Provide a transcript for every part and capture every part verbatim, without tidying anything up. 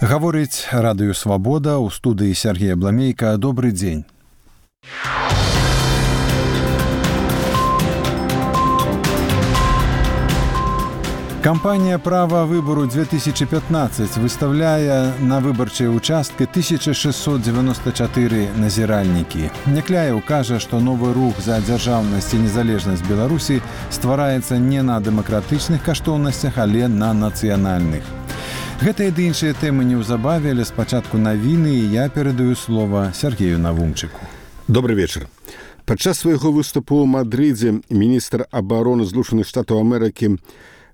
Гаворыць радыё «Свабода», у студыі Сергей Абламейка. Добрый дзень. Кампанія «Права выбору две тысячи пятнадцать» выставляе на выбарчыя участкі тысяча шестьсот девяносто четыре назіральнікі. Някляеў кажа, што новы рух за дзяржаўнасць і незалежнасць Беларусі ствараецца не на дэмакратычных каштоўнасцях, але на нацыянальных. Гэтыя ды іншыя тэмы неўзабаве, але спачатку навіны, і я перадаю слова Сергею Навумчыку. Добрый вечар. Падчас свайго выступу ў Мадрыдзе міністр абароны Злучаных Штатаў Амерыкі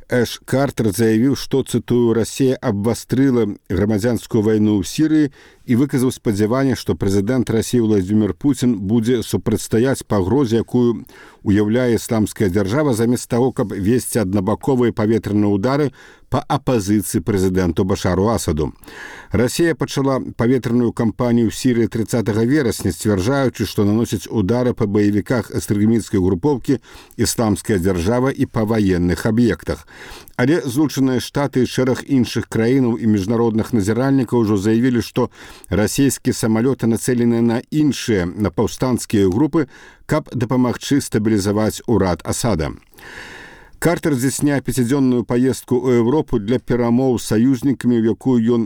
Эш Картер заявіў, што, цытую, «Расія абвастрыла грамадзянскую вайну ў Сірыі» і выказаў спадзяванне, што прэзідэнт Расіі Владзімір Пуцін будзе супрацьстаяць пагрозе, якую уяўляе ісламская дзяржава, замест таго, каб весці аднабаковыя паветраныя ўдары па апазіцыі прэзідэнту Башару Асаду. Расія пачала паветраную кампанію ў Сірыі тридцатого верасня, сцвярджаючы, што наносіць удары па баевіках экстрэмісцкай групоўкі «Ісламская дзяржава» і па ваенных аб'ектах. Але Злучаныя Штаты і шэраг іншых краінаў і міжнародных назіральнікаў ужо заявілі, што расійскія самалёты нацэленыя на іншыя, на паўстанцкія групы, каб дапамагчы стабілізаваць урад Асада. Картер здзяйсняе пяцідзённую паездку ў Еўропу для перамоў з саюзнікамі, у якую ён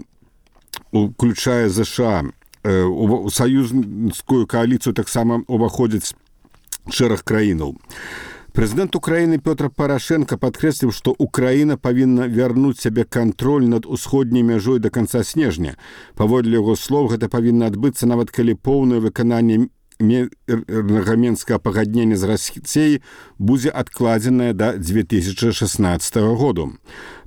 уключае ЗША. У саюзнікую кааліцыю таксама уваходзіць шэраг краінаў. Прэзідэнт Украіны Пётр Парашенко падкрэсліў, што Украіна павінна вярнуць сябе кантроль над усходняй мяжой да канца снежня. Паводле яго слоў, гэта павінна адбыцца нават калі поўнае выкананне мірнага мінскага пагаднення з Расіяй будзе адкладзенае да две тысячи шестнадцатого году.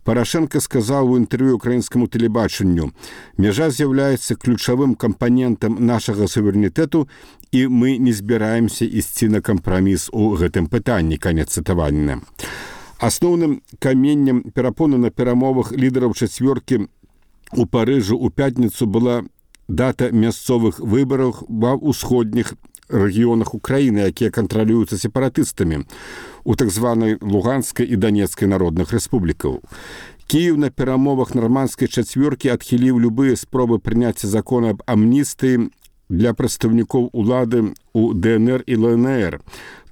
Парашенко сказаў у інтэрв'ю украінскаму тэлебачанню: «Мяжа з'яўляецца ключавым кампанентам нашага суверэнітэту, і мы не збіраемся ісці на кампраміс у гэтым пытанні». Канец цытавання. Асноўным каменнем перапоны на перамовах лідараў чацвёркі у Парыжу ў пятніцу была дата мясцовых выбараў ва ўсходніх рэгіёнах Украіны, якія кантралююцца сепаратыстамі у так званай Луганскай і Донецкай народных рэспублікаў. Кіеў на перамовах нармандскай чацвёркі адхіліў любыя спробы прыняцця закона аб амністыі для прадстаўнікоў улады ў ДНР і ЛНР.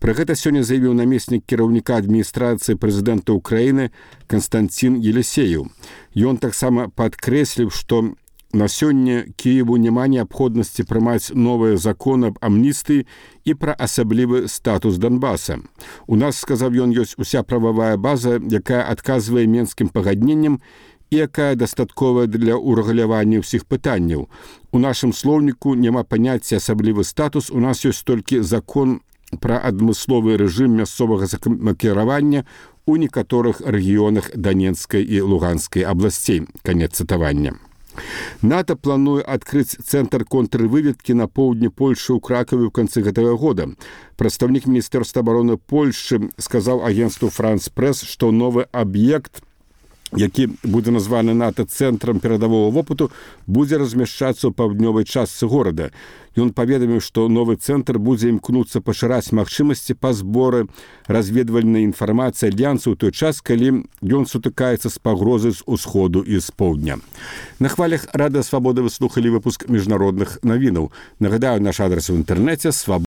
Пра гэта сёння заявіў намеснік кіраўніка адміністрацыі прэзідэнта Украіны Константин Елисеев. Ён таксама падкрэсліў, што на сёння Киеву няма неабходнасці прымаць новыя законы аб амністыі і пра асаблівы статус Донбаса. У нас, сказаў ён, ёсць уся прававая база, якая адказвае менскім пагадненням і якая дастатковая для ўрэгулявання ўсіх пытанняў. У нашым слоўніку няма паняцця асаблівы статус, у нас ёсць толькі закон пра адмысловы рэжым мясцовага самакіравання у некаторых рэгіёнах Донецкай і Луганскай абласцей. Канец цытавання. НАТО плануе адкрыць цэнтр контрвыведкі на поўдні Польшы ў Кракаве ў канцы гэтага года. Прадстаўнік Міністэрства абароны Польшы сказаў агенцтву «Франс Прэс», што новы аб'ект, які будзе названы НАТО цэнтрам перадавога вопыту, будзе размяшчацца ў паўднёвай частцы горада. Ён паведаміў, што новы цэнтр будзе імкнуцца пашыраць магчымасці па зборы разведвальнай інфармацыі альянсу ў той час, калі ён сутыкаецца з пагрозай з усходу і з поўдня. На хвалях Радыё Свабода вы слухалі выпуск міжнародных навінаў. Нагадаю, наш адрас у інтэрнэце свабода.